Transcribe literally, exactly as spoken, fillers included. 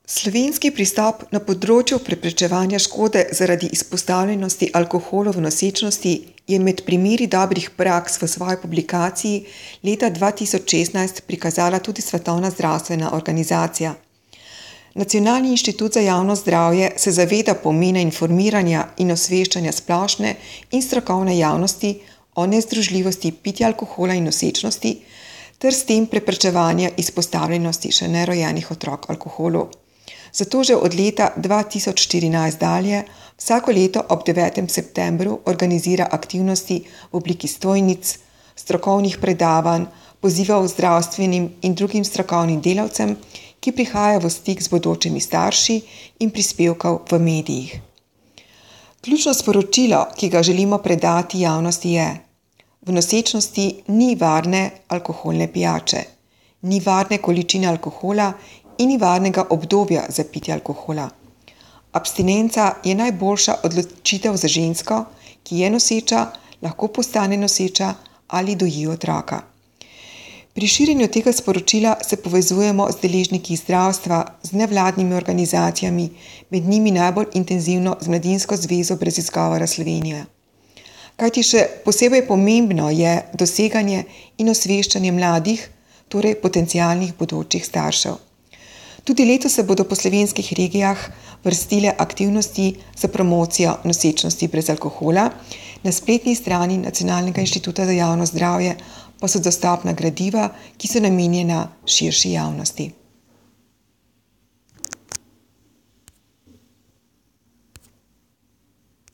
Slovenski pristop na področju preprečevanja škode zaradi izpostavljenosti alkoholu v nosečnosti je med primeri dobrih praks v svoji publikaciji leta dva tisoč šestnajst prikazala tudi Svetovna zdravstvena organizacija. Nacionalni inštitut za javno zdravje se zaveda pomena informiranja in osveščanja splošne in strokovne javnosti o nezdružljivosti pitja alkohola in nosečnosti ter s tem preprečevanja izpostavljenosti še nerojenih otrok alkoholu. Zato že od leta dva tisoč štirinajst dalje vsako leto ob devetem septembru organizira aktivnosti v obliki stojnic, strokovnih predavanj, pozivov zdravstvenim in drugim strokovnim delavcem, ki prihajajo v stik z bodočimi starši in prispevkov v medijih. Ključno sporočilo, ki ga želimo predati javnosti je: v nosečnosti ni varne alkoholne pijače, ni varne količine alkohola in ni varnega obdobja za pitje alkohola. Abstinenca je najboljša odločitev za žensko, ki je noseča, lahko postane noseča ali doji otroka. Pri širjenju tega sporočila se povezujemo z deležniki zdravstva, z nevladnimi organizacijami, med njimi najbolj intenzivno z Mladinsko zvezo brez izgovora Slovenije. Kajti še posebej pomembno je doseganje in osveščanje mladih, torej potencialnih bodočih staršev. Tudi letos se bodo po slovenskih regijah vrstile aktivnosti za promocijo nosečnosti brez alkohola. Na spletni strani Nacionalnega inštituta za javno zdravje pa so dostopna gradiva, ki so namenjena širši javnosti.